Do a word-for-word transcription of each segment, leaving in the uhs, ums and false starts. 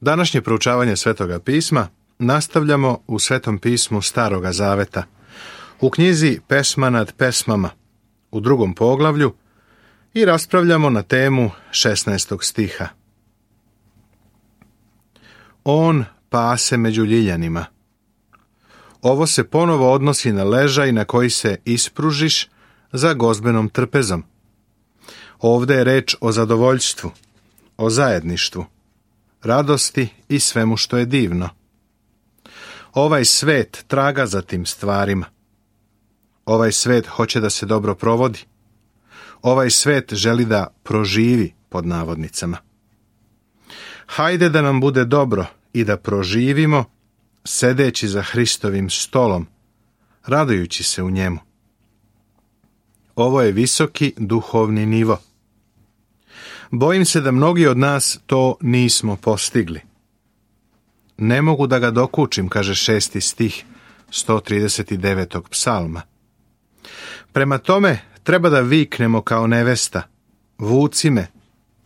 Današnje proučavanje Svetoga pisma nastavljamo u Svetom pismu Staroga zaveta, u knjizi Pesma nad pesmama, u drugom poglavlju, i raspravljamo na temu šesnaestog stiha. On pase među ljiljanima. Ovo se ponovo odnosi na ležaj na koji se ispružiš za gozbenom trpezom. Ovdje je reč o zadovoljstvu, o zajedništvu, radosti i svemu što je divno. Ovaj svet traga za tim stvarima. Ovaj svet hoće da se dobro provodi. Ovaj svet želi da proživi, pod navodnicama. Hajde da nam bude dobro i da proživimo, sedeći za Hristovim stolom, radujući se u njemu. Ovo je visoki duhovni nivo. Bojim se da mnogi od nas to nismo postigli. Ne mogu da ga dokučim, kaže šesti stih sto trideset devetog psalma. Prema tome, treba da viknemo kao nevesta: vuci me,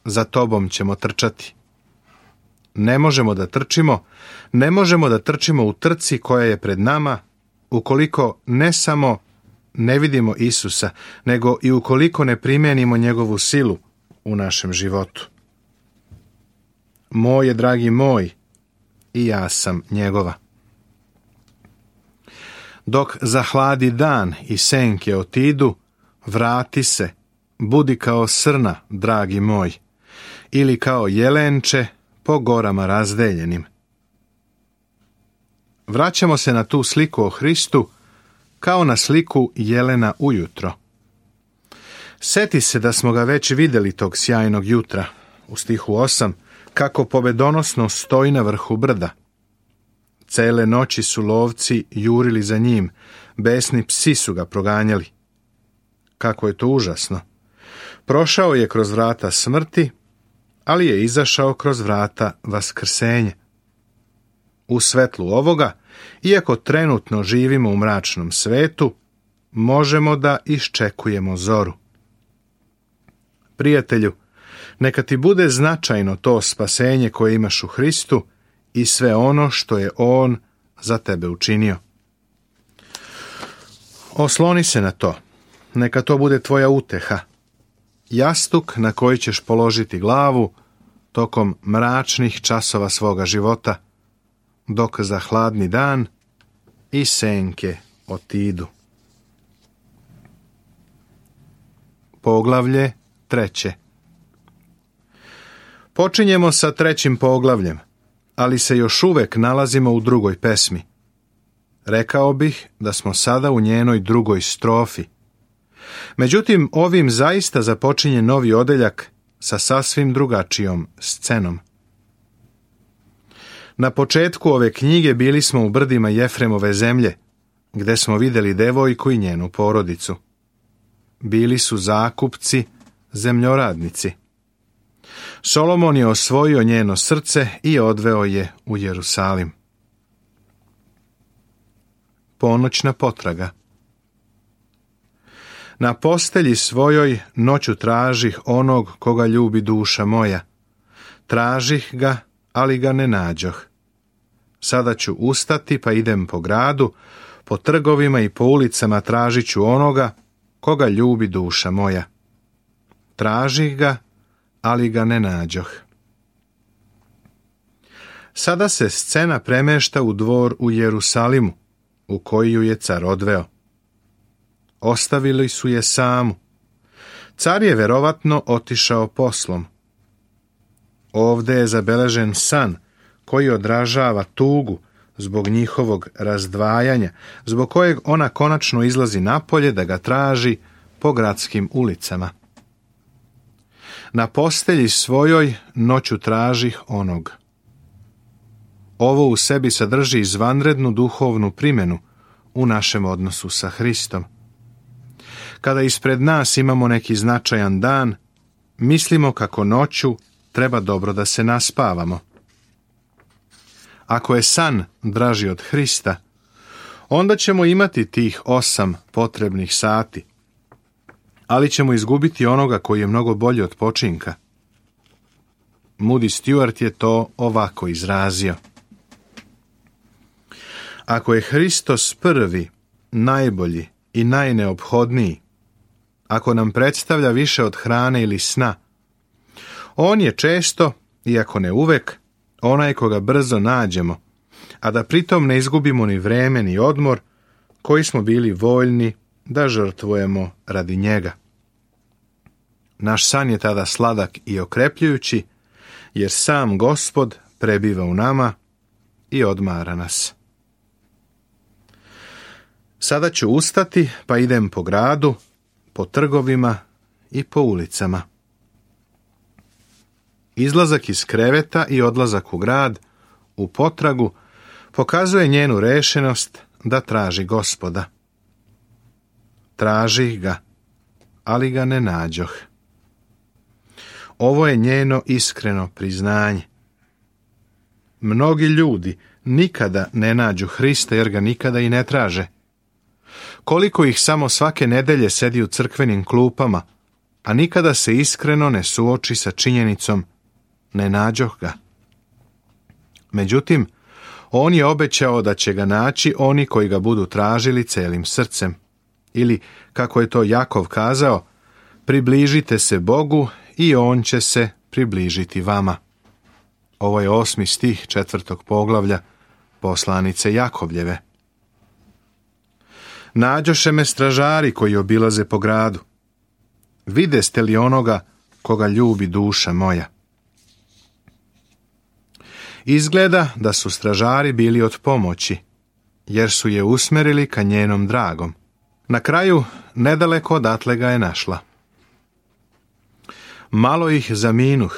za tobom ćemo trčati. Ne možemo da trčimo, ne možemo da trčimo u trci koja je pred nama, ukoliko ne samo ne vidimo Isusa, nego i ukoliko ne primenimo njegovu silu u našem životu. Moj je, dragi moj, i ja sam njegova. Dok zahladi dan i senke otidu, vrati se, budi kao srna, dragi moj, ili kao jelenče po gorama razdeljenim. Vraćamo se na tu sliku o Hristu kao na sliku jelena ujutro. Seti se da smo ga već vidjeli tog sjajnog jutra, u stihu osam, kako pobedonosno stoji na vrhu brda. Cele noći su lovci jurili za njim, besni psi su ga proganjali. Kako je to užasno! Prošao je kroz vrata smrti, ali je izašao kroz vrata vaskrsenja. U svetlu ovoga, iako trenutno živimo u mračnom svetu, možemo da iščekujemo zoru. Prijatelju, neka ti bude značajno to spasenje koje imaš u Hristu i sve ono što je On za tebe učinio. Osloni se na to, neka to bude tvoja uteha, jastuk na koji ćeš položiti glavu tokom mračnih časova svoga života, dok zahladni dan i senke otidu. Poglavlje treće. Počinjemo sa trećim poglavljem, ali se još uvek nalazimo u drugoj pesmi. Rekao bih da smo sada u njenoj drugoj strofi. Međutim, ovim zaista započinje novi odeljak sa sasvim drugačijom scenom. Na početku ove knjige bili smo u brdima Jefremove zemlje, gde smo vidjeli devojku i njenu porodicu. Bili su zakupci, zemljoradnici. Solomon je osvojio njeno srce i odveo je u Jerusalim. Ponoćna potraga. Na postelji svojoj noću tražih onog koga ljubi duša moja. Tražih ga, ali ga ne nađoh. Sada ću ustati pa idem po gradu, po trgovima i po ulicama tražit ću onoga koga ljubi duša moja. Tražih ga, ali ga ne nađoh. Sada se scena premešta u dvor u Jerusalimu, u koji ju je car odveo. Ostavili su je samu. Car je verovatno otišao poslom. Ovdje je zabeležen san koji odražava tugu zbog njihovog razdvajanja, zbog kojeg ona konačno izlazi napolje da ga traži po gradskim ulicama. Na postelji svojoj noću tražih onog. Ovo u sebi sadrži izvanrednu duhovnu primjenu u našem odnosu sa Hristom. Kada ispred nas imamo neki značajan dan, mislimo kako noću treba dobro da se naspavamo. Ako je san draži od Hrista, onda ćemo imati tih osam potrebnih sati, ali ćemo izgubiti onoga koji je mnogo bolji od počinka. Moody Stuart je to ovako izrazio. Ako je Hristos prvi, najbolji i najneophodniji, ako nam predstavlja više od hrane ili sna, on je često, iako ne uvek, onaj koga brzo nađemo, a da pritom ne izgubimo ni vreme ni odmor koji smo bili voljni da žrtvujemo radi njega. Naš san je tada sladak i okrepljujući, jer sam Gospod prebiva u nama i odmara nas. Sada ću ustati, pa idem po gradu, po trgovima i po ulicama. Izlazak iz kreveta i odlazak u grad, u potragu, pokazuje njenu rešenost da traži Gospoda. Tražih ga, ali ga ne nađoh. Ovo je njeno iskreno priznanje. Mnogi ljudi nikada ne nađu Hrista jer ga nikada i ne traže. Koliko ih samo svake nedelje sedi u crkvenim klupama, a nikada se iskreno ne suoči sa činjenicom ne nađoh ga. Međutim, on je obećao da će ga naći oni koji ga budu tražili celim srcem. Ili, kako je to Jakov kazao, približite se Bogu i on će se približiti vama. Ovo je osmi stih četvrtog poglavlja poslanice Jakovljeve. Nađoše me stražari koji obilaze po gradu. Videste li onoga koga ljubi duša moja? Izgleda da su stražari bili od pomoći, jer su je usmerili ka njenom dragom. Na kraju, nedaleko odatle ga je našla. Malo ih zaminuh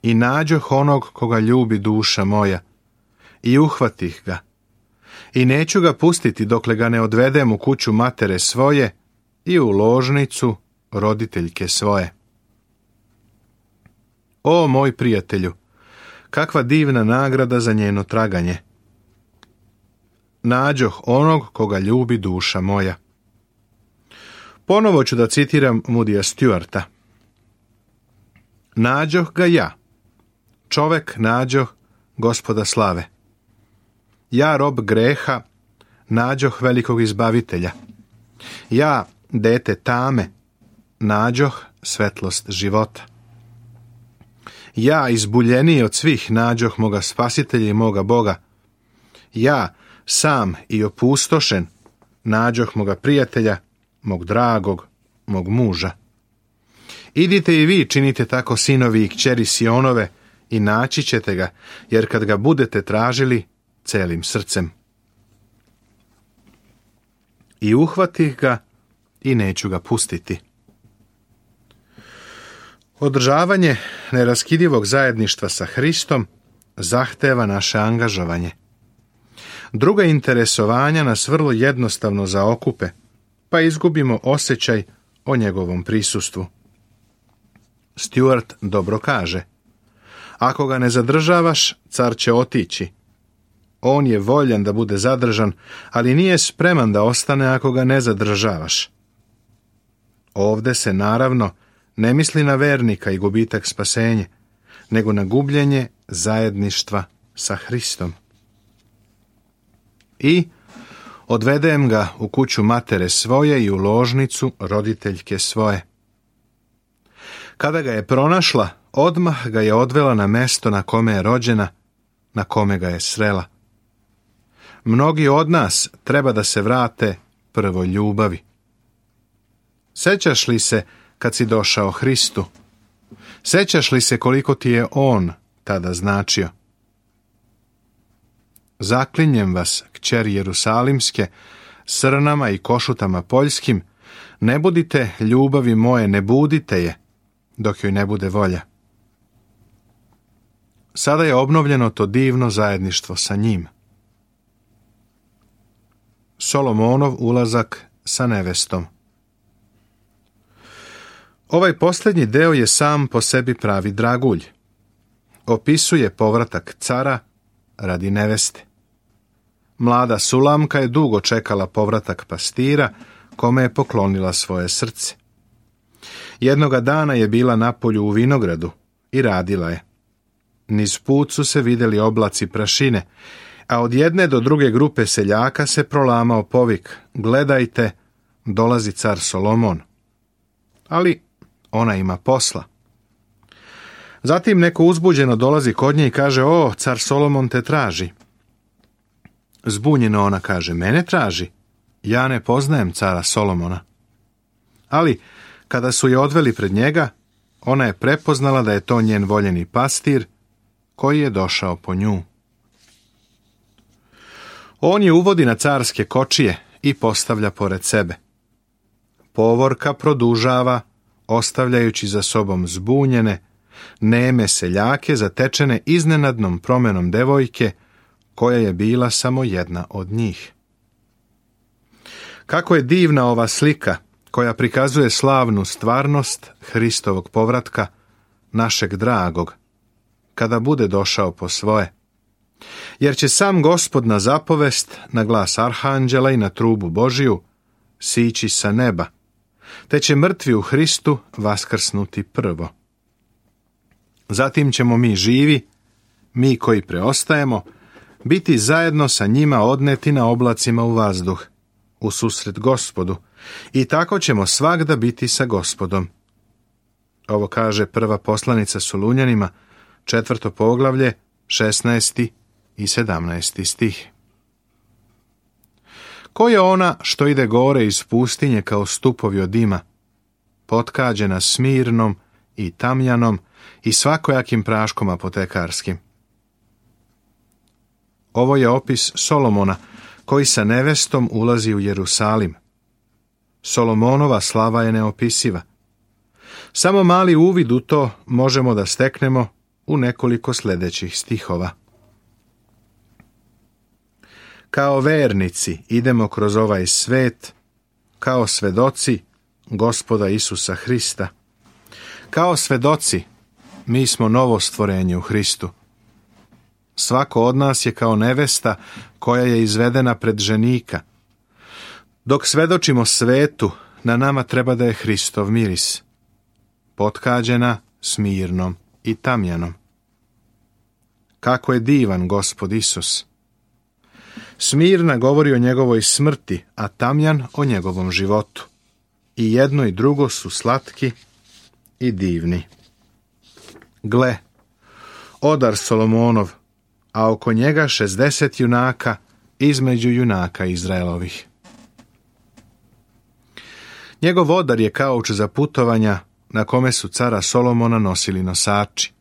i nađoh onog koga ljubi duša moja i uhvatih ga i neću ga pustiti dokle ga ne odvedem u kuću matere svoje i u ložnicu roditeljke svoje. O moj prijatelju, kakva divna nagrada za njeno traganje. Nađoh onog koga ljubi duša moja. Ponovo ću da citiram Moodyja Stuarta. Nađoh ga ja, čovek nađoh Gospoda slave. Ja, rob greha, nađoh velikog izbavitelja. Ja, dete tame, nađoh svetlost života. Ja, izbuljeniji od svih, nađoh moga spasitelja i moga Boga. Ja, sam i opustošen, nađoh moga prijatelja, mog dragog, mog muža. Idite i vi činite tako, sinovi i kćeri Sionove, i naći ćete ga, jer kad ga budete tražili celim srcem. I uhvatih ga i neću ga pustiti. Održavanje neraskidivog zajedništva sa Hristom zahteva naše angažovanje. Druga interesovanja nas vrlo jednostavno zaokupe, pa izgubimo osjećaj o njegovom prisustvu. Stuart dobro kaže: ako ga ne zadržavaš, car će otići. On je voljan da bude zadržan, ali nije spreman da ostane ako ga ne zadržavaš. Ovde se naravno ne misli na vernika i gubitak spasenje, nego na gubljenje zajedništva sa Hristom. I odvedem ga u kuću matere svoje i u ložnicu roditeljke svoje. Kada ga je pronašla, odmah ga je odvela na mesto na kome je rođena, na kome ga je srela. Mnogi od nas treba da se vrate prvoj ljubavi. Sećaš li se kad si došao Hristu? Sećaš li se koliko ti je On tada značio? Zaklinjem vas, kćeri Jerusalimske, srnama i košutama poljskim, ne budite ljubavi moje, ne budite je, dok joj ne bude volja. Sada je obnovljeno to divno zajedništvo sa njim. Solomonov ulazak sa nevestom. Ovaj posljednji deo je sam po sebi pravi dragulj. Opisuje povratak cara radi neveste. Mlada Sulamka je dugo čekala povratak pastira, kome je poklonila svoje srce. Jednoga dana je bila na polju u vinogradu i radila je. Niz put su se vidjeli oblaci prašine, a od jedne do druge grupe seljaka se prolamao povik: gledajte, dolazi car Solomon. Ali ona ima posla. Zatim neko uzbuđeno dolazi kod nje i kaže: o, car Solomon te traži. Zbunjeno ona kaže: mene traži? Ja ne poznajem cara Solomona. Ali kada su je odveli pred njega, ona je prepoznala da je to njen voljeni pastir koji je došao po nju. On je uvodi na carske kočije i postavlja pored sebe. Povorka produžava, ostavljajući za sobom zbunjene, neme seljake zatečene iznenadnom promenom devojke, koja je bila samo jedna od njih. Kako je divna ova slika koja prikazuje slavnu stvarnost Hristovog povratka, našeg dragog, kada bude došao po svoje. Jer će sam Gospod na zapovest, na glas arhanđela i na trubu Božiju sići sa neba, te će mrtvi u Hristu vaskrsnuti prvo. Zatim ćemo mi živi, mi koji preostajemo, biti zajedno sa njima odneti na oblacima u vazduh, u susret Gospodu, i tako ćemo svagda biti sa Gospodom. Ovo kaže prva poslanica Solunjanima, četvrto poglavlje, šesnaesti i sedamnaesti stih. Ko je ona što ide gore iz pustinje kao stupovi od dima, potkađena smirnom i tamjanom i svakojakim praškom apotekarskim? Ovo je opis Solomona, koji sa nevestom ulazi u Jerusalim. Solomonova slava je neopisiva. Samo mali uvid u to možemo da steknemo u nekoliko sljedećih stihova. Kao vernici idemo kroz ovaj svet, kao svedoci Gospoda Isusa Hrista. Kao svedoci mi smo novo stvorenje u Hristu. Svako od nas je kao nevesta koja je izvedena pred ženika. Dok svedočimo svetu, na nama treba da je Hristov miris, potkađena smirnom i tamjanom. Kako je divan Gospod Isus! Smirna govori o njegovoj smrti, a tamjan o njegovom životu. I jedno i drugo su slatki i divni. Gle, odar Solomonov, a oko njega šezdeset junaka između junaka Izraelovih. Njegov odar je kauč za putovanja na kome su cara Solomona nosili nosači.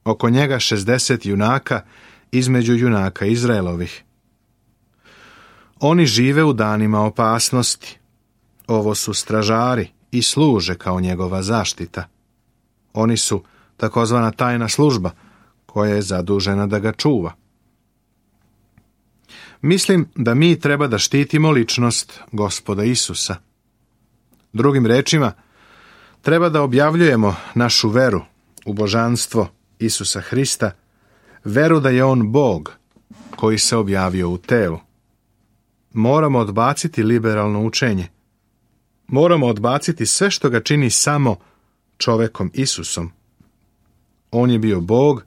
Oko njega šezdeset junaka između junaka Izraelovih. Oni žive u danima opasnosti. Ovo su stražari i služe kao njegova zaštita. Oni su takozvana tajna služba koja je zadužena da ga čuva. Mislim da mi treba da štitimo ličnost Gospoda Isusa. Drugim rečima, treba da objavljujemo našu veru u božanstvo Isusa Hrista, veru da je on Bog koji se objavio u telu. Moramo odbaciti liberalno učenje. Moramo odbaciti sve što ga čini samo čovekom Isusom. On je bio Bog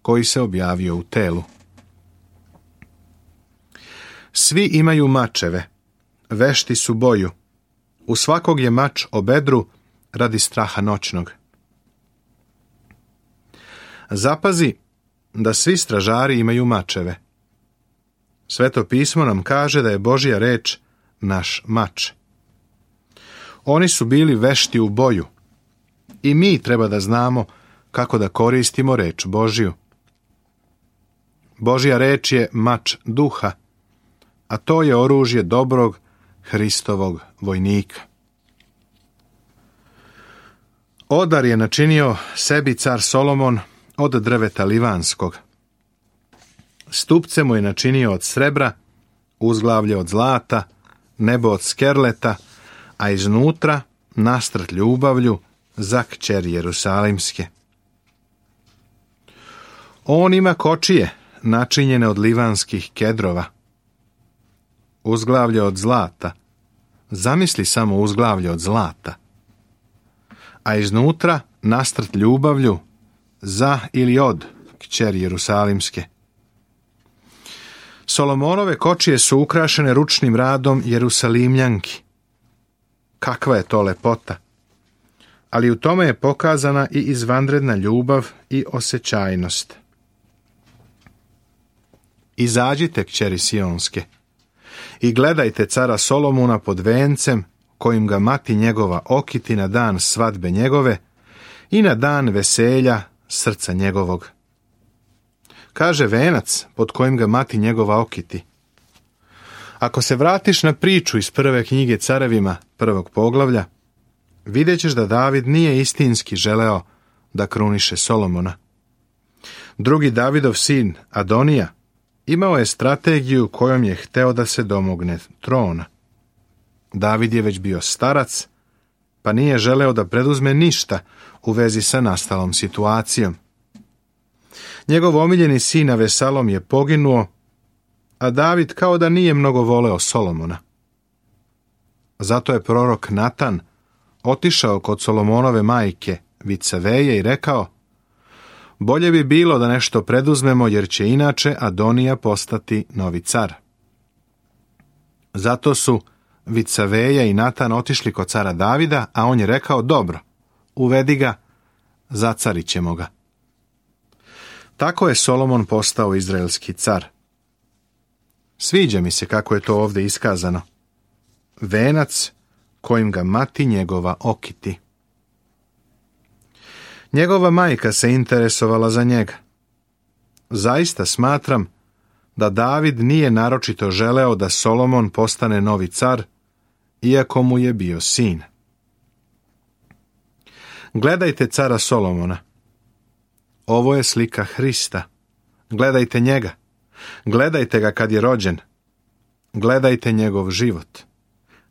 koji se objavio u telu. Svi imaju mačeve, vešti su boju. U svakog je mač o bedru radi straha noćnog. Zapazi da svi stražari imaju mačeve. Sveto pismo nam kaže da je Božja reč naš mač. Oni su bili vešti u boju i mi treba da znamo kako da koristimo reč Božju. Božja reč je mač duha, a to je oružje dobrog Hristovog vojnika. Odar je načinio sebi car Solomon od drveta livanskog. Stupce mu je načinio od srebra, uzglavlje od zlata, nebo od skerleta, a iznutra nastrt ljubavlju za kćer Jerusalimske. On ima kočije načinjene od livanskih kedrova. Uzglavlje od zlata. Zamisli samo uzglavlje od zlata. A iznutra nastrt ljubavlju za ili od kćeri Jerusalimske. Solomonove kočije su ukrašene ručnim radom Jerusalimljanki. Kakva je to lepota! Ali u tome je pokazana i izvanredna ljubav i osjećajnost. Izađite, kćeri Sionske, i gledajte cara Solomona pod vencem, kojim ga mati njegova okiti na dan svadbe njegove i na dan veselja srca njegovog. Kaže venac pod kojim ga mati njegova okiti. Ako se vratiš na priču iz prve knjige Carevima, prvog poglavlja, vidjet ćeš da David nije istinski želeo da kruniše Solomona. Drugi Davidov sin, Adonija, imao je strategiju kojom je hteo da se domogne trona. David je već bio starac, pa nije želeo da preduzme ništa u vezi sa nastalom situacijom. Njegov omiljeni sin Avesalom je poginuo, a David kao da nije mnogo voleo Solomona. Zato je prorok Natan otišao kod Solomonove majke Vicaveje i rekao: bolje bi bilo da nešto preduzmemo, jer će inače Adonija postati novi car. Zato su Vicaveja i Natan otišli kod cara Davida, a on je rekao: dobro, uvedi ga, zacarit ćemo ga. Tako je Solomon postao izraelski car. Sviđa mi se kako je to ovdje iskazano. Venac kojim ga mati njegova okiti. Njegova majka se interesovala za njega. Zaista smatram da David nije naročito želeo da Solomon postane novi car, iako mu je bio sin. Gledajte cara Solomona. Ovo je slika Hrista. Gledajte njega. Gledajte ga kad je rođen. Gledajte njegov život.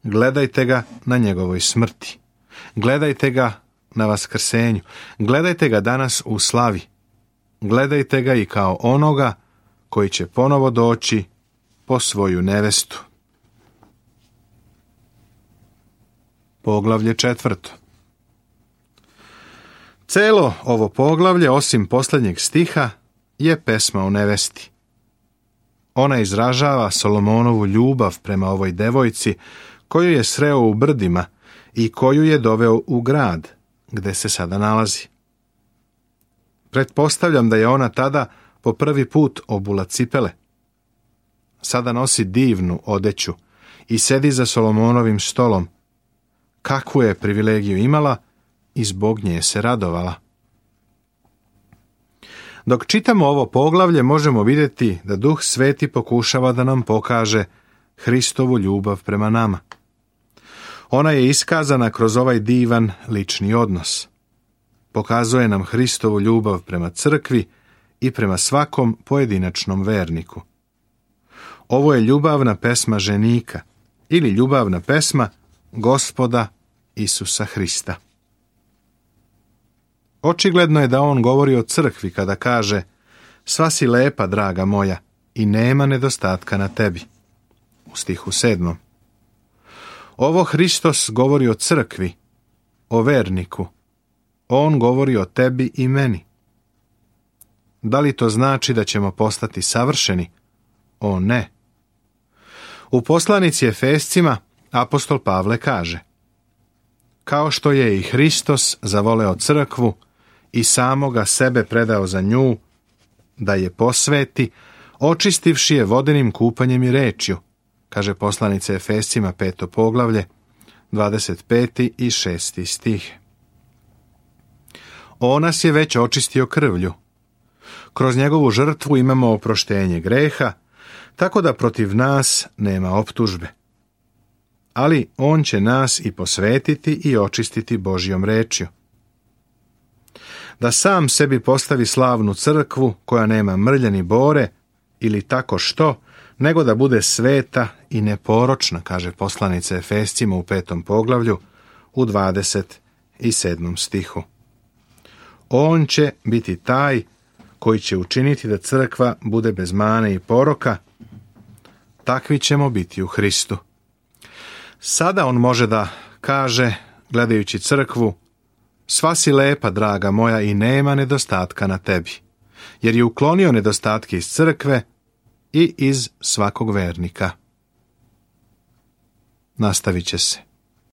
Gledajte ga na njegovoj smrti. Gledajte ga na vaskrsenju. Gledajte ga danas u slavi. Gledajte ga i kao onoga koji će ponovo doći po svoju nevestu. Poglavlje četvrto. Celo ovo poglavlje, osim posljednjeg stiha, je pesma o nevesti. Ona izražava Solomonovu ljubav prema ovoj devojci koju je sreo u brdima i koju je doveo u grad gde se sada nalazi. Pretpostavljam da je ona tada po prvi put obula cipele. Sada nosi divnu odeću i sedi za Solomonovim stolom. Kakvu je privilegiju imala i zbog nje se radovala. Dok čitamo ovo poglavlje, možemo vidjeti da Duh Sveti pokušava da nam pokaže Hristovu ljubav prema nama. Ona je iskazana kroz ovaj divan lični odnos. Pokazuje nam Hristovu ljubav prema crkvi i prema svakom pojedinačnom verniku. Ovo je ljubavna pesma ženika ili ljubavna pesma Gospoda Isusa Hrista. Očigledno je da on govori o crkvi kada kaže: sva si lepa, draga moja, i nema nedostatka na tebi. U stihu sedmom. Ovo Hristos govori o crkvi, o verniku. On govori o tebi i meni. Da li to znači da ćemo postati savršeni? O ne. U poslanici Efescima apostol Pavle kaže: kao što je i Hristos zavoleo crkvu i samoga sebe predao za nju, da je posveti, očistivši je vodenim kupanjem i rečju, kaže poslanica Efescima peto poglavlje, dvadeset peti i šesti stih. On nas je već očistio krvlju. Kroz njegovu žrtvu imamo oproštenje greha, tako da protiv nas nema optužbe. Ali on će nas i posvetiti i očistiti Božjom rečju. Da sam sebi postavi slavnu crkvu koja nema mrlje ni bore ili tako što, nego da bude sveta i neporočna, kaže poslanica Efescima u petom poglavlju u dvadeset sedmom stihu. On će biti taj koji će učiniti da crkva bude bez mane i poroka. Takvi ćemo biti u Hristu. Sada on može da kaže, gledajući crkvu: Sva si lepa, draga moja, i nema nedostatka na tebi, jer je uklonio nedostatke iz crkve i iz svakog vernika. Nastavit će se.